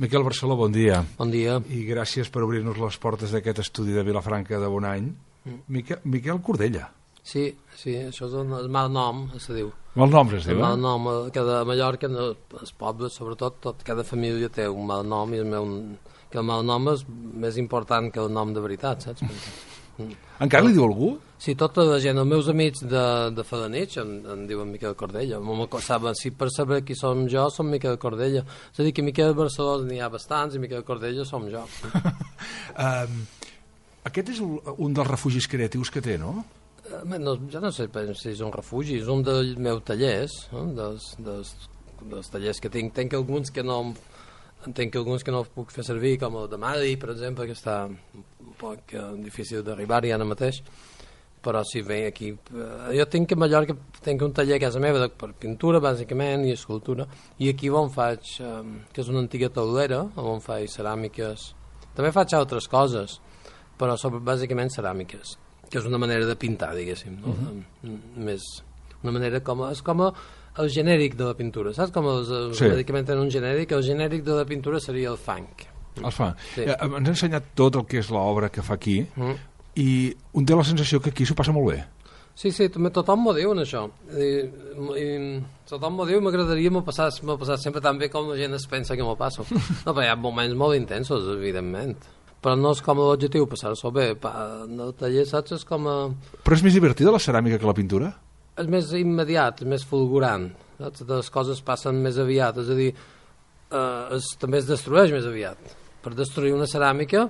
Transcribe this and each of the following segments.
Miquel Barceló, bon dia. Bon dia. I gràcies per obrir-nos les portes d'aquest estudi de Vilafranca de Bonany. Miquel Cordella. Sí, això és el mal nom, se diu. Mal nom, es diu, El mal nom, a Mallorca, els pobles, sobretot, cada família té un mal nom, i que el mal nom és més important que el nom de veritat, saps? Encara li diu algú? Sí, tota la gent, els meus amics de Felanitx em diuen Miquel Cordella. Si per saber qui som jo, som Miquel Cordella. És a dir, que Miquel Barceló n'hi ha bastants i Miquel Cordella som jo. Aquest és un dels refugis creatius que té, no? Jo no sé si és un refugi, és un dels meus tallers, dels tallers que tinc. Tenc alguns que no puc fer servir, com el de Madi, per exemple, que està un poc difícil d'arribar-hi ara mateix, però si ve aquí... Jo tinc a Mallorca un taller a casa meva per pintura, bàsicament, i escultura, i aquí on faig, que és una antiga taulera, on faig ceràmiques. També faig altres coses, però bàsicament ceràmiques, que és una manera de pintar, diguéssim, no? Més una manera és com el genèric de la pintura, saps? Com bàsicament tenen un genèric, el genèric de la pintura seria el funk. El funk. Sí. Ens ha ensenyat tot el que és l'obra que fa aquí, i un té la sensació que aquí s'ho passa molt bé. Sí, tothom m'ho diu, això. Tothom m'ho diu, m'agradaria m'ho passar sempre tan bé com la gent es pensa que m'ho passo. No, però hi ha moments molt intensos, evidentment. Però no és com l'objectiu, passar-s'ho bé. El taller, saps, és com... Però és més divertida la ceràmica que la pintura? És més immediat, és més fulgurant, saps? Les coses passen més aviat, és a dir, també es destrueix més aviat. Per destruir una ceràmica,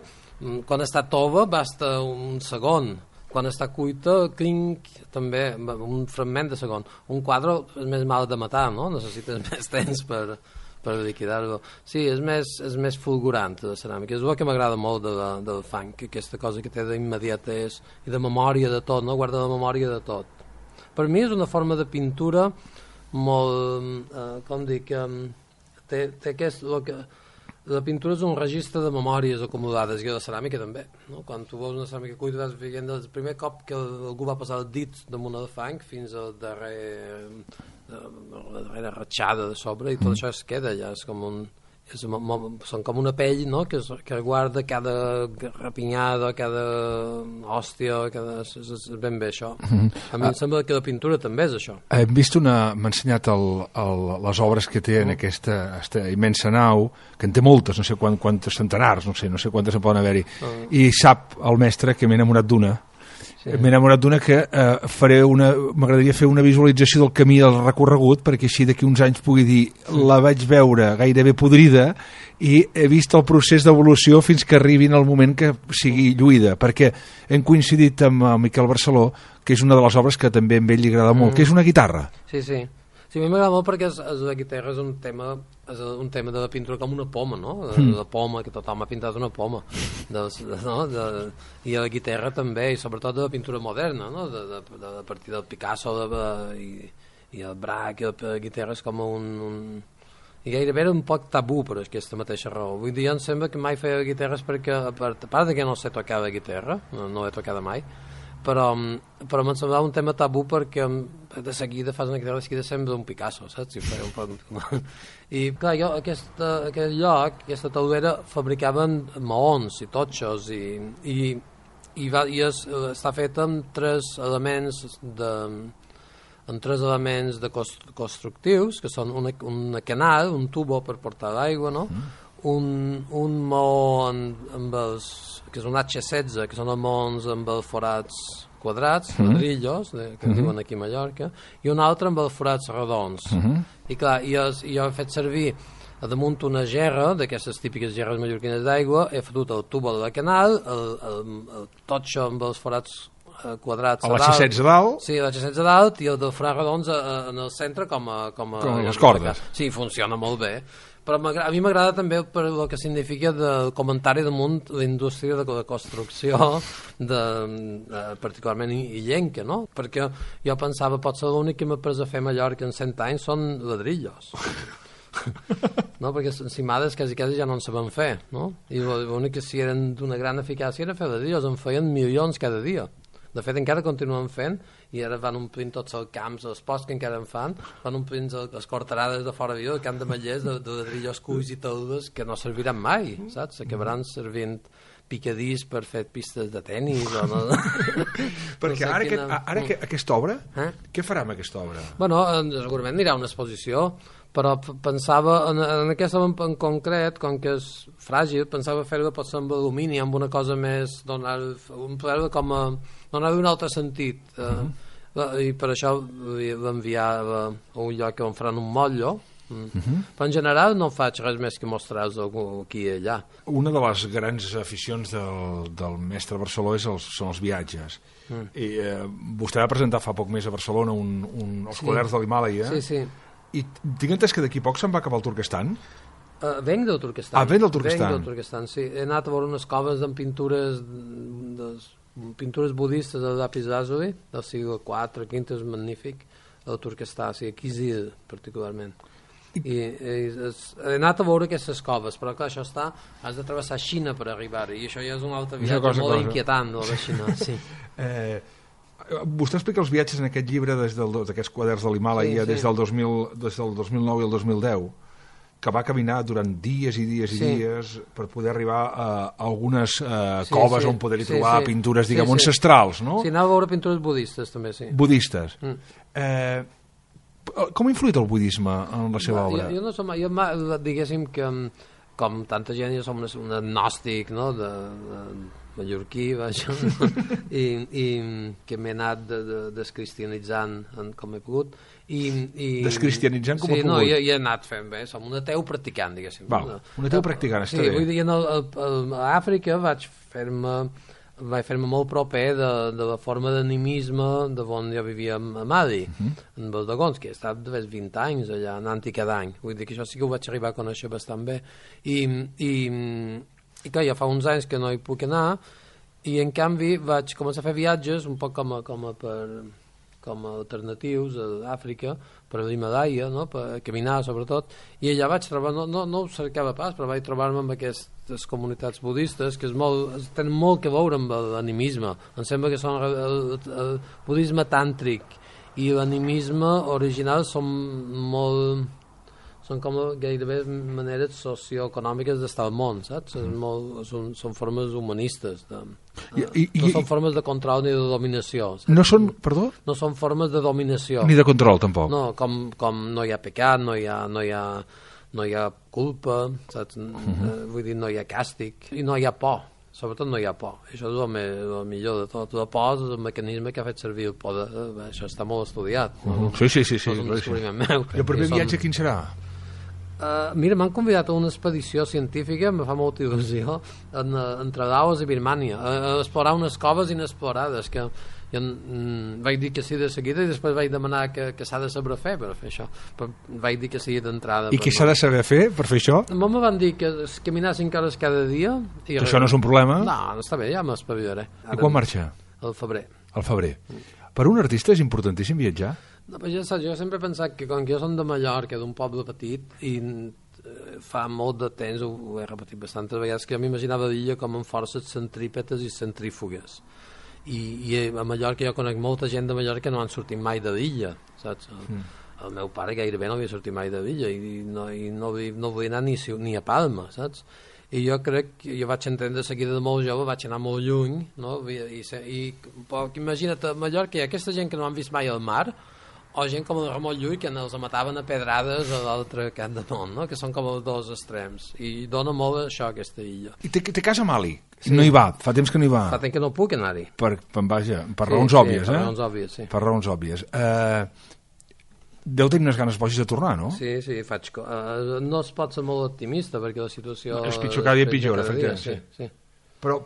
quan està tova basta un segon, quan està cuita, clinc, també, un fragment de segon. Un quadre és més mal de matar, no? Necessites més temps per liquidar-lo. Sí, és més fulgurant, la ceràmica. És el que m'agrada molt del funk, aquesta cosa que té d'immediatès i de memòria de tot, no? Guarda la memòria de tot. Per mi és una forma de pintura molt, com dic, té aquest... La pintura és un registre de memòries acumulades, i la ceràmica també, no? Quan tu veus una ceràmica cuita vas veient el primer cop que algú va passar el dit damunt el fang fins a la darrera ratxada de sobre, i tot això es queda allà, són com una pell, no? que guarda cada rapinyada, cada hòstia, és ben bé això. A mi em sembla que la pintura també és això. Hem vist m'ha ensenyat les obres que té en aquesta immensa nau, que en té moltes, no sé quantes centenars, no sé quantes en poden haver-hi, i sap el mestre que m'he enamorat d'una. Sí. M'he enamorat d'una que m'agradaria fer una visualització del camí del recorregut, perquè així d'aquí uns anys pugui dir la vaig veure gairebé podrida i he vist el procés d'evolució fins que arribi en el moment que sigui lluïda, perquè hem coincidit amb el Miquel Barceló, que és una de les obres que també a ell li agrada molt, que és una guitarra. Sí, a mi m'agrada molt perquè la guitarra és un tema de la pintura com una poma, no? La poma, que tothom ha pintat una poma. I la guitarra també, i sobretot de la pintura moderna, no? A partir del Picasso i el Braque, la guitarra és com i gairebé era un poc tabú per aquesta mateixa raó. Vull dir, em sembla que mai feia guitarres perquè, a part que no sé tocar la guitarra, no l'he tocada mai, però m'en semblava un tema tabú perquè de seguida fas una guitarra, de seguida sembla un Picasso, saps? I clar, jo aquest lloc, aquesta taulera, fabricaven maons i totxos i està feta amb tres elements constructius, que són una canal, un tubo per portar l'aigua, no? Un maó que és un H16, que són els maons amb els forats quadrats, ladrillos, que diuen aquí a Mallorca, i un altre amb els forats redons. I clar, jo he fet servir damunt una gerra, d'aquestes típiques gerres mallorquines d'aigua, he fotut el tubo de la canal, el totxo amb els forats quadrats a l'H16 a dalt? Sí, a l'H16 a dalt, i el de forats redons en el centre com a les cordes. Sí, funciona molt bé. Però a mi m'agrada també per el que significa del comentari damunt la indústria de la construcció, particularment illenca, no? Perquè jo pensava, potser l'únic que m'ha pres a fer a Mallorca en 100 anys són ladrillos. No? Perquè encimades quasi ja no en sabem fer, no? I l'únic que si eren d'una gran eficàcia era fer ladrillos, en feien milions cada dia. De fet, encara continuen fent, i ara van omplint tots els camps, els posts que encara en fan, van omplint les cortarades de fora viu, el camp de Mallers, de drillos cuis i teudes, que no serviran mai, saps? Acabaran servint picadís per fer pistes de tennis o no. Perquè no sé ara aquesta obra, què farà amb aquesta obra? Bueno, segurament anirà a una exposició, però pensava en aquesta en concret, com que és fràgil, pensava fer-ho potser amb alumini, amb una cosa més, donar-li un altre sentit, i per això l'enviava a un lloc on faran un motllo. Però en general no faig res més que mostrar-vos aquí i allà. Una de les grans aficions del mestre Barceló són els viatges. I vostè va presentar fa poc més a Barcelona els quaderns de l'Himàlaia. Sí. I tinc entès que d'aquí poc se'n va cap al Turquestan? Venc del Turquestan. Venc del Turquestan. Venc del Turquestan, sí. He anat a veure unes coves amb pintures budistes de Lapis Lazuli, del segle IV, V, és magnífic, el Turquestan, sí, aquí Kizil, particularment. I he anat a veure aquestes coves, però clar, això has de travessar Xina per arribar-hi, i això ja és un altre viatge molt inquietant de la Xina, sí. Vostè explica els viatges en aquest llibre d'aquests quaderns de l'Himàlaia des del 2009 i el 2010, que va caminar durant dies i dies i dies per poder arribar a algunes coves on poder-hi trobar pintures, diguem, ancestrals, no? Sí, anava a veure pintures budistes, també, sí. Budistes. Com ha influït el budisme en la seva obra? Jo no som, diguéssim que com tanta gent jo som un agnòstic, no?, de mallorquí, i que m'he anat descristianitzant com he pogut. Descristianitzant com he pogut? Sí, no, i he anat fent bé, som un ateu practicant, diguéssim. Un ateu practicant, està bé. Sí, vull dir, a Àfrica vaig fer-me molt proper de la forma d'animisme d'on jo vivia a Mali, en els Dogons, que he estat de 20 anys allà, anant-hi cada any. Vull dir que això sí que ho vaig arribar a conèixer bastant bé. I clar, ja fa uns anys que no hi puc anar, i en canvi vaig començar a fer viatges un poc com a alternatius a Àfrica, per l'Himàlaia, no? Per caminar sobretot, i allà vaig trobar, no ho cercava pas, però vaig trobar-me amb aquestes comunitats budistes que tenen molt que veure amb l'animisme. Em sembla que són el budisme tàntric i l'animisme original són com gairebé maneres socioeconòmiques d'estar al món, saps? Són formes humanistes. No són formes de control ni de dominació. Saps? No són, perdó? No són formes de dominació. Ni de control, tampoc. No, com no hi ha pecat, no hi ha culpa, saps? Vull dir, no hi ha càstig, i no hi ha por. Sobretot no hi ha por. Això és el millor de tot. La por és el mecanisme que ha fet servir el poder. Això està molt estudiat. Sí. No és un descobriment meu. I el proper viatge quin serà? Mira, m'han convidat a una expedició científica, em fa molta il·lusió, entre Laos i Birmània, a explorar unes coves inexplorades, que jo vaig dir que sí de seguida i després vaig demanar que s'ha de saber fer per fer això, però vaig dir que sí d'entrada. I què s'ha de saber fer per fer això? Me van dir que caminar 5 hores cada dia. Que això no és un problema? No, està bé, ja m'espavilaré. I quan marxa? Al febrer. Al febrer. Per un artista és importantíssim viatjar? No, però jo sempre he pensat que com que jo som de Mallorca, d'un poble petit, i fa molt de temps, ho he repetit bastantes vegades, que jo m'imaginava l'illa com amb forces centrípetes i centrífugues. I a Mallorca jo conec molta gent de Mallorca que no han sortit mai de l'illa, saps? El meu pare gairebé no havia sortit mai de l'illa i no volia anar ni a Palma, saps? I jo crec que jo vaig entendre de seguida de molt jove, vaig anar molt lluny, no? Imagina't, a Mallorca hi ha aquesta gent que no han vist mai al mar, o gent com el Ramon Llull, que els mataven a pedrades a l'altre cap de món, no? Que són com els dos extrems, i dona molt això, aquesta illa. I té casa a Mali? Sí. No hi va, fa temps que no hi va. Fa temps que no puc anar-hi. Per raons òbvies, per raons òbvies, sí. Per raons òbvies. Deu tenir unes ganes boges de tornar, no? Sí, no es pot ser molt optimista, perquè la situació... És pitjor, cada dia pitjor, efectivament. Sí. Però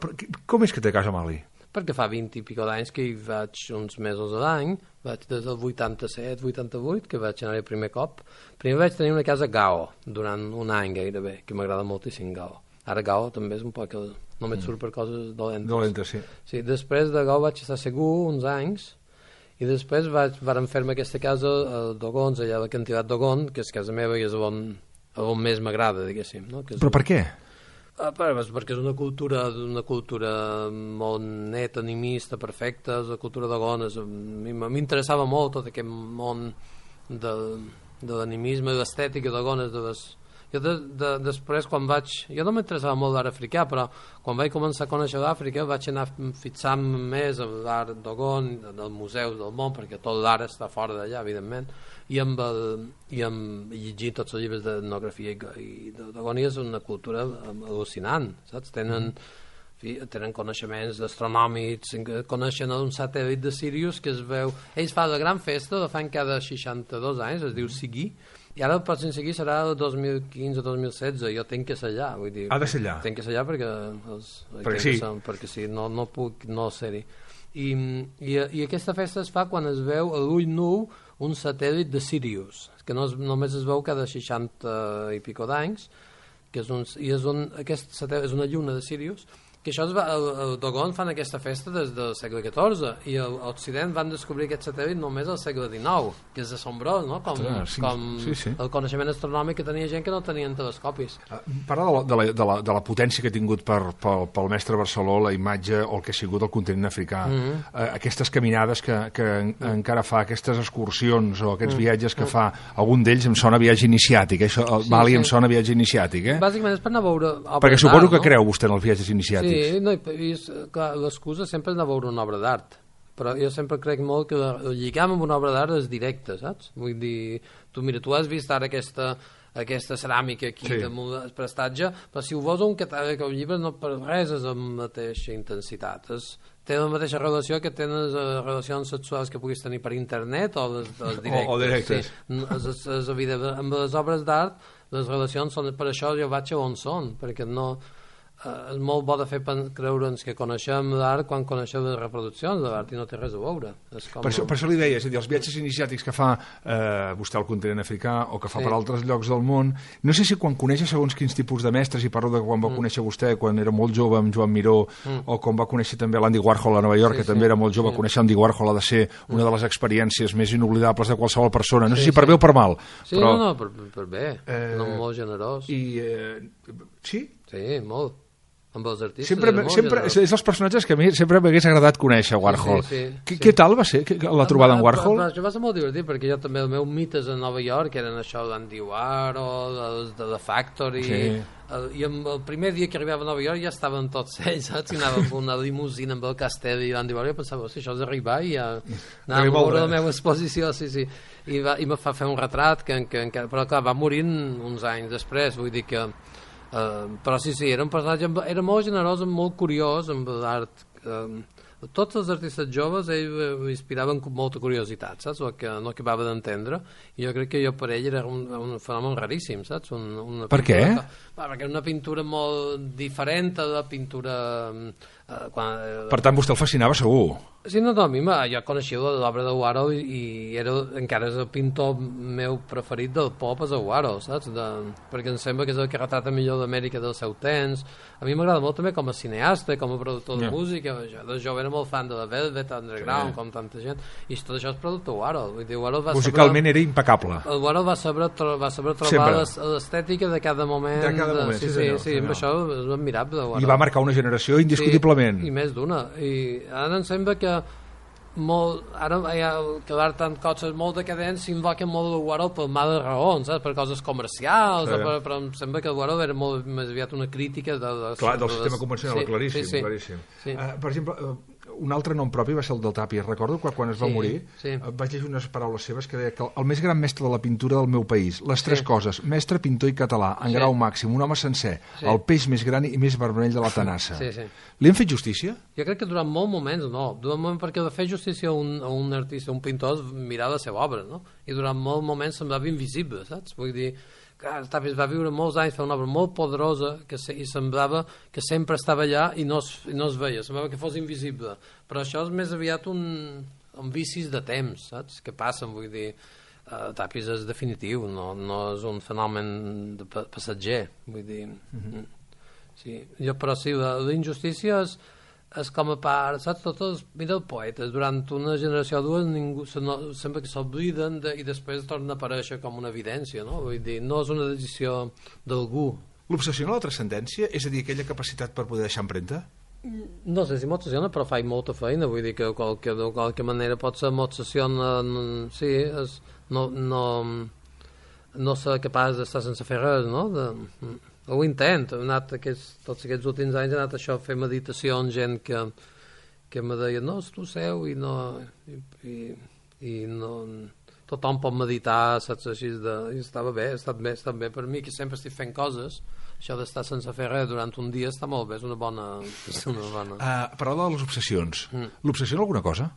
com és que té casa a Mali? Perquè fa 20 i pico d'anys que hi vaig uns mesos a l'any, vaig des del 87, 88, que vaig anar el primer cop. Primer vaig tenir una casa a Gao, durant un any gairebé, que m'agrada moltíssim Gao. Ara Gao també és un poc... Només surt per coses dolentes. Dolentes, sí. Sí, després de Gao vaig estar segur uns anys, i després varen fer-me aquesta casa a Dogons, allà a la quantitat Dogon, que és casa meva i és on més m'agrada, diguéssim. No? Però per què? Perquè és una cultura molt neta, animista, perfecta, és la cultura de dones. M'interessava molt tot aquest món de l'animisme, de l'estètica de dones, jo després quan jo no m'interessava molt l'art africà, però quan vaig començar a conèixer l'Àfrica vaig anar fixant-me més en l'art d'Ogon, dels museus del món, perquè tot l'art està fora d'allà, evidentment, i llegir tots els llibres d'etnografia i d'Ogon, és una cultura al·lucinant, saps? Tenen coneixements astronòmics, coneixen un satèl·lit de Sirius que es veu... Ells fan la gran festa, la fan cada 62 anys, es diu Sigui, i ara el pròxim Sigui serà el 2015-2016, jo tinc que ser allà, vull dir... Ha de ser allà? Tinc que ser allà perquè sí, no puc no ser-hi. I aquesta festa es fa quan es veu a l'ull nu un satèl·lit de Sirius, que només es veu cada 60 i pico d'anys, aquest satèl·lit és una lluna de Sirius, que això el Dogon fan aquesta festa des del segle XIV i a l'Occident van descobrir aquest satèl·lit només al segle XIX, que és assombrós, no? Com el coneixement astronòmic que tenia gent que no tenien telescopis. Parla de la potència que ha tingut pel mestre Barceló la imatge o el que ha sigut el continent africà. Aquestes caminades que encara fa, aquestes excursions o aquests viatges que fa, algun d'ells em sona viatge iniciàtic, el Mali em sona viatge iniciàtic, Bàsicament és per anar a veure obres d'art, perquè suposo que creu vostè en els viatges iniciàtics. Sí, l'excusa sempre és anar a veure una obra d'art, però jo sempre crec molt que el lligam amb una obra d'art és directe, saps? Vull dir, tu has vist ara aquesta ceràmica aquí damunt el prestatge, però si ho veus un catàleg o un llibre no per res és la mateixa intensitat, té la mateixa relació que tenen les relacions sexuals que puguis tenir per internet o les directes. O directes. Sí, és evident. Amb les obres d'art les relacions són, per això jo vaig a on són, perquè no... és molt bo de fer creure'ns que coneixem l'art quan coneixem les reproduccions de l'art i no té res a veure. Per això li deia, és a dir, els viatges iniciàtics que fa vostè al continent africà o que fa per altres llocs del món, no sé si quan coneix segons quins tipus de mestres, i parlo de quan va conèixer vostè quan era molt jove amb Joan Miró, o quan va conèixer també l'Andy Warhol a Nova York, que també era molt jove, conèixer Andy Warhol ha de ser una de les experiències més inoblidables de qualsevol persona, no sé si per bé o per mal. Sí, no, per bé, molt generós. Sí? Sí, molt. Amb els artistes sempre és els personatges que a mi sempre m'hagués agradat conèixer Warhol. Què tal va ser la trobada amb Warhol? Va ser molt divertit perquè jo també el meu mites a Nova York eren això d'Andy Warhol, de The Factory, i el primer dia que arribava a Nova York ja estaven tots ells, saps? I anava amb una limusina amb el castell i l'Andy Warhol, i pensava, si això és arribar i ja anava a veure la meva exposició, i me fa fer un retrat però clar, va morint uns anys després, vull dir que però sí, era un personatge, era molt generós, molt curiós amb l'art. Tots els artistes joves ell inspiraven molta curiositat, saps? El que no acabava d'entendre, i jo crec que per ell era un fenomen raríssim, saps? Per què? Perquè era una pintura molt diferent de la pintura... Per tant, vostè el fascinava segur. Sí, no, a mi jo coneixia l'obra de Warhol i encara és el pintor meu preferit del pop, és el Warhol, saps? Perquè em sembla que és el que retrata millor d'Amèrica del seu temps. A mi m'agrada molt també com a cineasta, com a productor de música. Jo de jove era molt fan de la Velvet Underground, com tanta gent, i tot això és producte Warhol. Vull dir, musicalment era impecable. El Warhol va saber trobar l'estètica de cada moment. De cada moment, sí, amb això és admirable. I va marcar una generació indiscutiblement. I més d'una. I ara em sembla que ara que l'art tant coses molt decadents s'invoca molt el Warhol per males raons, per coses comercials, però em sembla que el Warhol era molt més aviat una crítica del sistema convencional, claríssim. Per exemple, un altre nom propi va ser el del Tàpies. Recordo que quan es va morir vaig llegir unes paraules seves que deia que el més gran mestre de la pintura del meu país, les tres coses, mestre, pintor i català, en grau màxim, un home sencer, el peix més gran i més vermell de la tenassa. Li han fet justícia? Jo crec que durant molts moments no. Durant moments perquè de fer justícia a un artista, un pintor, és mirar la seva obra, no? I durant molts moments semblava invisible, saps? Vull dir, Tàpies va viure molts anys, fer una obra molt poderosa i semblava que sempre estava allà i no es veia, semblava que fos invisible, però això és més aviat un vicis de temps, saps? Que passen, vull dir, Tàpies és definitiu, no és un fenomen de passatger, vull dir. Però sí, la injustícia és com a part, saps? Mira els poetes, durant una generació o dues sembla que s'obliden i després torna a aparèixer com una evidència, no? Vull dir, no és una decisió d'algú L'obsessiona la transcendència? És a dir, aquella capacitat per poder deixar empremta? No sé si m'obsessiona, però faig molta feina, vull dir que de qualque manera potser m'obsessiona, sí, no ser capaç d'estar sense fer res, no? Ho intento, he anat tots aquests últims anys he anat això, a fer meditació amb gent que me deia, no, tu seu i no tothom pot meditar, saps, així i estava bé, ha estat bé per mi, que sempre estic fent coses, això d'estar sense fer res durant un dia està molt bé, és una bona... Parla de les obsessions. L'obsessiona alguna cosa?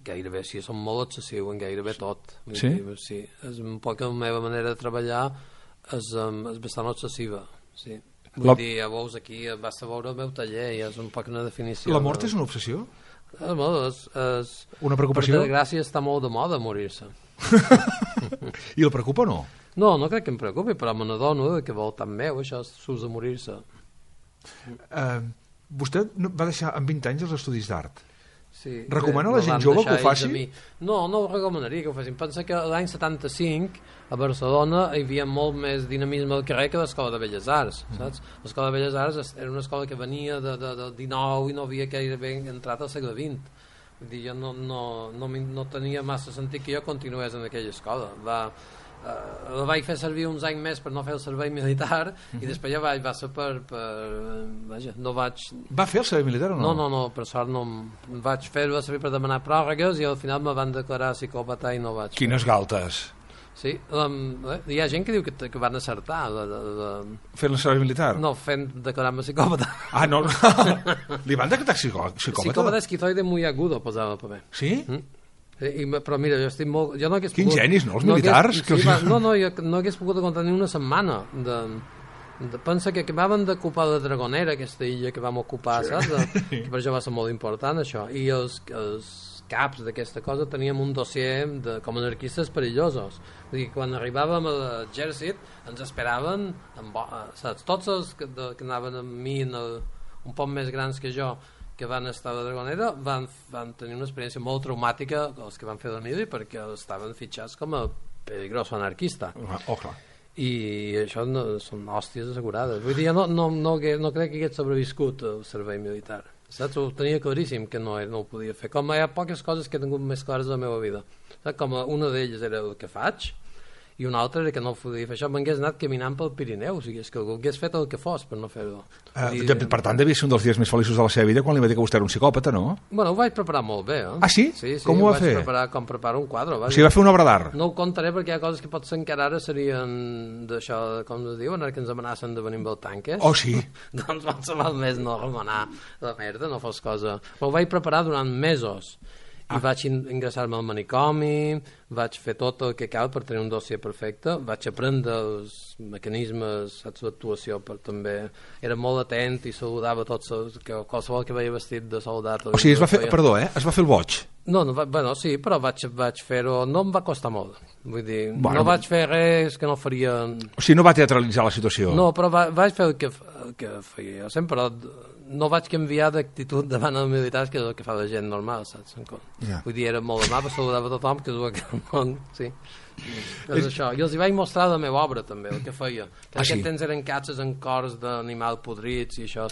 Gairebé, sí, som molt obsessiu en gairebé tot. Sí? Sí, és un poc la meva manera de treballar és bastant obsessiva, sí. Vull dir, ja veus aquí, basta veure el meu taller i és un poc una definició. La mort és una obsessió? Una preocupació? Per desgràcia està molt de moda morir-se. I el preocupa o no? No crec que em preocupi, però me n'adono que vol tan meu, això s'ús de morir-se. Vostè va deixar amb 20 anys els estudis d'art. Sí, recomana a la gent jove que ho faci? No ho recomanaria que ho facin. Pensa que l'any 75 a Barcelona hi havia molt més dinamisme al carrer que l'Escola de Belles Arts, saps? L'Escola de Belles Arts era una escola que venia del XIX i no havia gairebé entrat al segle XX. Vull dir, jo no tenia massa sentit que jo continués en aquella escola. La vaig fer servir uns anys més per no fer el servei militar i després ja va ser vaja, no vaig... Va fer el servei militar o no? No, per sort no vaig fer-ho servir per demanar pròrrogues i al final me van declarar psicòpata i no vaig... Quines galtes! Sí, hi ha gent que diu que van acertar fent el servei militar? No, declarar-me psicòpata. No. Li van declarar psicòpata? Psicòpata esquizoide muy agudo posava el paper. Sí? Però mira, jo estic molt... Quins genis, no? Els militars? Jo no hagués pogut aguantar ni una setmana pensa que acabaven d'ocupar la Dragonera, aquesta illa que vam ocupar, saps? Que per això va ser molt important, això. I els caps d'aquesta cosa teníem un dossier com anarquistes perillosos. Vull dir, quan arribàvem a l'exèrcit ens esperaven, saps? Tots els que anaven amb mi un poc més grans que jo, que van estar a la Dragonera, van tenir una experiència molt traumàtica els que van fer la mili perquè estaven fitxats com a peligroso anarquista. Clar. I això són hòsties assegurades. Vull dir, no crec que hagués sobreviscut el servei militar. Saps? Ho tenia claríssim que no ho podia fer. Com hi ha poques coses que he tingut més clares a la meva vida. Saps? Com una d'elles era el que faig i una altra era que no ho podia fer. Això m'hagués anat caminant pel Pirineu, o sigui, és que algú hagués fet el que fos per no fer-ho. Per tant, devia ser un dels dies més feliços de la seva vida quan li va dir que vostè era un psicòpata, no? Bueno, ho vaig preparar molt bé, Ah, sí? Sí, com ho va fer? Ho vaig preparar com preparo un quadre. O sigui, va fer una obra d'art? No ho contaré perquè hi ha coses que potser encara ara serien d'això, com es diuen, ara que ens amenacen de venir amb el tanques. Oh, sí? Doncs val més no remenar la merda, no fos cosa. Però ho vaig preparar durant mesos. I vaig ingressar-me al manicomi, vaig fer tot el que cal per tenir un dossier perfecte, vaig aprendre els mecanismes, saps, d'actuació, però també era molt atent i saludava tots qualsevol que veia vestit de soldat. O sigui, es va fer el boig? Bueno, sí, però vaig fer-ho, no em va costar molt, vull dir, no vaig fer res que no faria... O sigui, no va teatralitzar la situació? No, però vaig fer el que feia jo sempre, no vaig canviar d'actitud davant els militars, que és el que fa la gent normal, saps? Vull dir, era molt amable, saludava tothom, que és el que el món, sí. És això. I els hi vaig mostrar la meva obra, també, el que feia. Que en aquest temps eren catxes en cors d'animal podrits i això,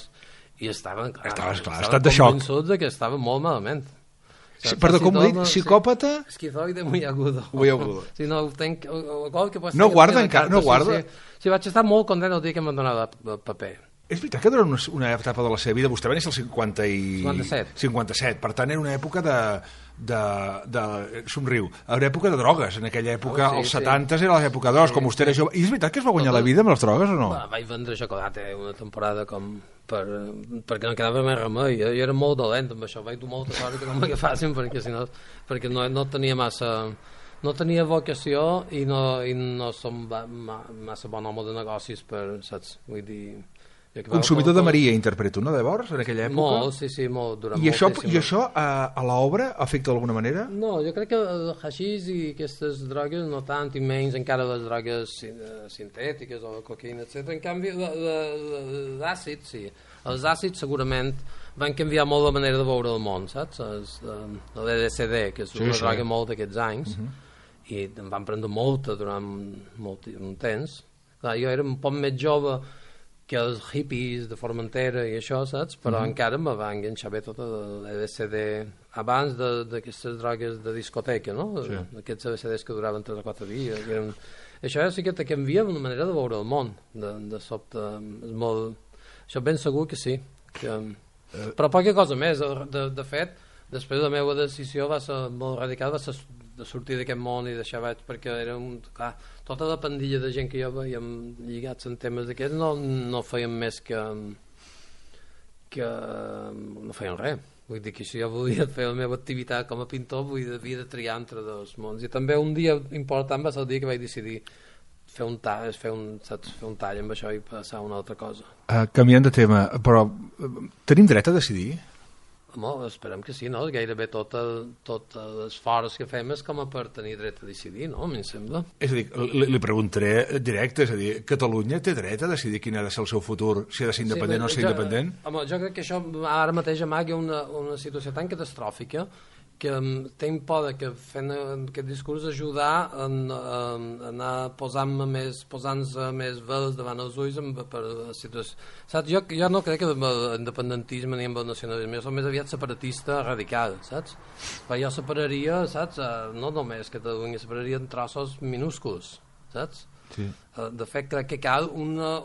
i estaven convençuts que estaven molt malament. Perdó, com ho he dit? Psicòpata? Esquizoide muy agudo. Sí, no guarda encara? No guarda? Sí, vaig estar molt content el dia que m'han donat el paper. És veritat que durant una etapa de la seva vida, vostè va néixer el 57, per tant era una època somriu, era època de drogues, en aquella època, als 70 era l'època d'os, com vostè era jove. I és veritat que es va guanyar la vida amb les drogues o no? Vaig vendre xocolata una temporada com perquè no quedava més remei. Jo era molt dolent amb això, vaig dur molta sort que no m'agafassin perquè no tenia massa... No tenia vocació i no som massa bon home de negocis per, saps, vull dir... Consumidor de Maria, interpreto, no, llavors, en aquella època? Molt, sí, molt, durant moltíssim. I això a l'obra afecta d'alguna manera? No, jo crec que el haixís i aquestes drogues no tant, i menys encara les drogues sintètiques o la cocaïna, etc. En canvi, l'àcid, sí. Els àcids segurament van canviar molt la manera de veure el món, saps? L'LSD, que és una droga molt d'aquests anys, i em van prendre molta durant un temps. Clar, jo era un poc més jove que els hippies de Formentera i això, saps? Però encara me va enganxar bé tota l'LSD abans d'aquestes drogues de discoteca, no? Sí. Aquests LSDs que duraven 3 o 4 dies. Això sí que te canvia una manera de veure el món, de sobte. És molt... Això ben segur que sí. Però poca cosa més. De fet, després la meva decisió va ser molt radical, va ser de sortir d'aquest món i deixar vaig, perquè era clar, tota la pandilla de gent que jo veiem lligats en temes d'aquests no feien més que no feien res. Vull dir que si jo volia fer la meva activitat com a pintor havia de triar entre dos mons, i també un dia important va ser el dia que vaig decidir fer un tall amb això i passar a una altra cosa. Canviant de tema, però tenim dret a decidir? Home, esperem que sí, no? Gairebé tot l'esforç que fem és com a per tenir dret a decidir, no? A mi em sembla. És a dir, li preguntaré directe, és a dir, Catalunya té dret a decidir quin ha de ser el seu futur, si ha de ser independent o ser independent? Home, jo crec que això ara mateix amaga una situació tan catastròfica que tinc por que fent aquest discurs ajudar a anar posant-nos més vels davant els ulls per la situació. Saps? Jo no crec que amb l'independentisme ni amb el nacionalisme, jo soc més aviat separatista radical, saps? Però jo separaria, saps? No només Catalunya, separaria en trossos minúsculs, saps? Sí. De fet, crec que cal una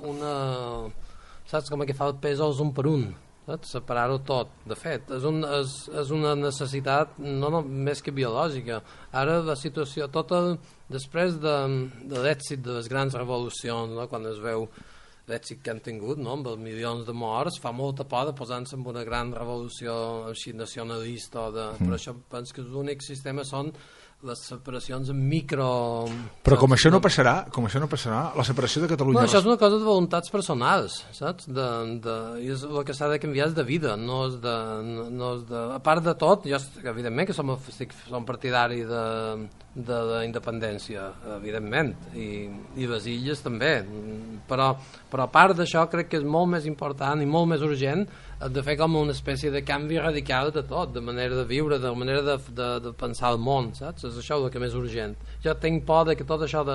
saps? Com que fa el pèsols un per un, separar-ho tot. De fet, és una necessitat no més que biològica. Ara la situació després de l'èxit de les grans revolucions, no? Quan es veu l'èxit que han tingut, no? Amb els milions de morts, fa molta por de posar-se en una gran revolució així nacionalista per això penso que l'únic sistema són les separacions en micro... Però com això no passarà, la separació de Catalunya... No, això és una cosa de voluntats personals, saps? I el que s'ha de canviar és de vida, no és de... A part de tot, jo evidentment que som partidari de la independència, evidentment, i les illes també, però a part d'això crec que és molt més important i molt més urgent de fer com una espècie de canvi radical de tot, de manera de viure, de manera de pensar el món, saps? És això el que més urgent. Jo tinc por que tot això de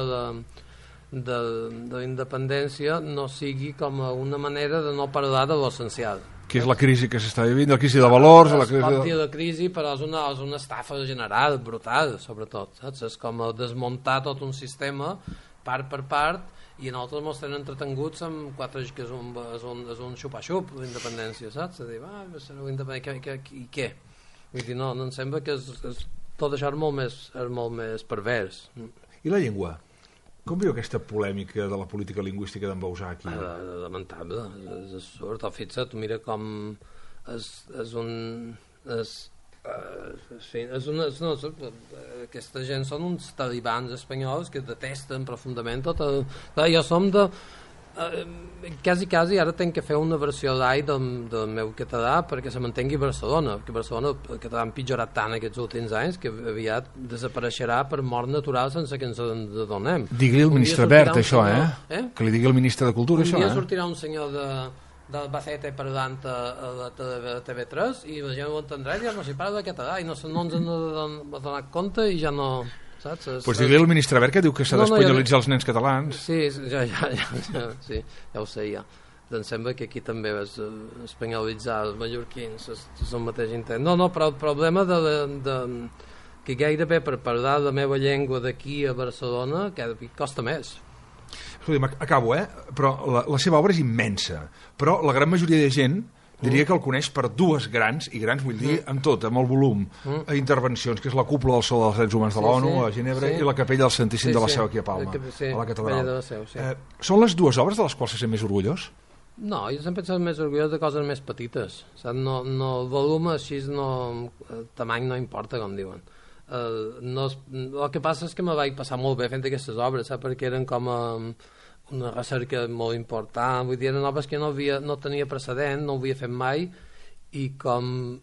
la independència no sigui com una manera de no parlar de l'essencial. Que és la crisi que s'està vivint, la crisi de valors... Pot dir la crisi, però és una estafa general, brutal, sobretot, saps? És com desmuntar tot un sistema, part per part, i nosaltres ens tenen entretenguts amb quatre, que és un xupa-xup l'independència, saps? A dir, sereu independents, i què? Vull dir, no em sembla que tot això és molt més pervers. I la llengua? Com viu aquesta polèmica de la política lingüística d'en Bauzà aquí? Lamentable, és absurd. Fixa't, mira com aquesta gent són uns talibans espanyols que detesten profundament tot el... Jo som de... quasi ara tenc que fer una versió light del meu català perquè se mantengui Barcelona, perquè Barcelona el català ha empitjorat tant aquests últims anys que aviat desapareixerà per mort natural sense que ens adonem. Digui el ministre Wert això, que li digui el ministre de Cultura això. Un dia sortirà un senyor d'Albacete parlant a la TV3 i la gent ho entendrà i ja no s'hi parla de català i no ens han donat compte i ja no... Pues digui el ministre Wert que diu que s'ha d'espanyolitzar els nens catalans. Sí, ja ho sé, ja. Em sembla que aquí també és espanyolitzar els mallorquins, és el mateix intent. No, però el problema que gairebé per parlar la meva llengua d'aquí a Barcelona costa més. Escolta, acabo, però la seva obra és immensa, però la gran majoria de gent diria que el coneix per dues grans, i grans vull dir amb tot, amb el volum, intervencions, que és la cúpula del Sol dels Drets Humans de l'ONU a Ginebra i la Capella del Santíssim de la Seu aquí a Palma, a la catedral. Són les dues obres de les quals se sent més orgullós? No, jo sempre he estat més orgullós de coses més petites. El volum així, el tamany no importa, com diuen. El que passa és que me vaig passar molt bé fent aquestes obres, perquè eren com una recerca molt important, vull dir, eren obres que no tenia precedent, no ho havia fet mai, i com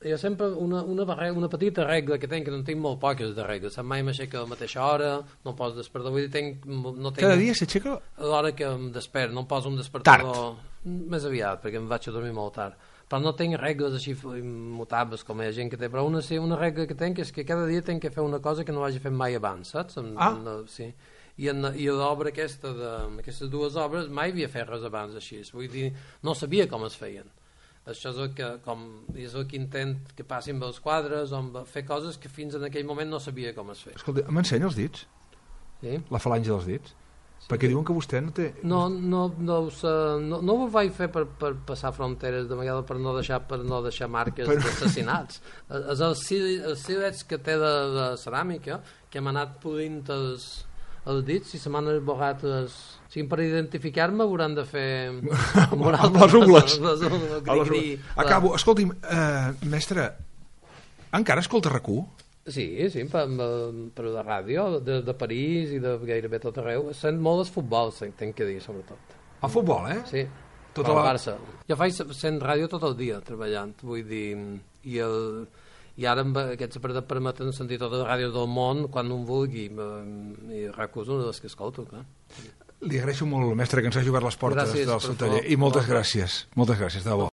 jo sempre una petita regla que tenc, que no tinc molt poques de regles, mai m'aixeca a la mateixa hora, no poso despertador, vull dir, cada dia s'aixeca? A l'hora que em despert, no em poso un despertador més aviat, perquè em vaig a dormir molt tard, però no tinc regles així immutables com hi ha gent que té, però una regla que tinc és que cada dia tinc que fer una cosa que no hagi fet mai abans, saps? Sí. i l'obra aquesta, aquestes dues obres, mai havia fet res abans així, vull dir, no sabia com es feien. Això és el que intent que passin amb els quadres, o fer coses que fins en aquell moment no sabia com es feia. Escolta, m'ensenya els dits? Sí? La falange dels dits? Sí. Perquè diuen que vostè no té... No ho vaig fer per passar fronteres, de vegades per no deixar marques d'assassinats. Els silets que té de ceràmica, que hem anat podint els dits i se m'han esborrat per identificar-me hauran de fer amb les ungles. Acabo, escolti'm, mestre, encara escolta RAC1? Sí, per la ràdio de París i de gairebé tot arreu. Sent molt el futbol, tenc que dir, sobretot. El futbol, eh? Sí, tota la Barça. Jo faig sent ràdio tot el dia treballant, vull dir, i ara amb aquests aparells permeten sentir totes les ràdios del món quan un vulgui, i RAC1 és una de les que escolto, clar. Li agraeixo molt, mestre, que ens hagi obert les portes del seu taller, i moltes gràcies, de debò.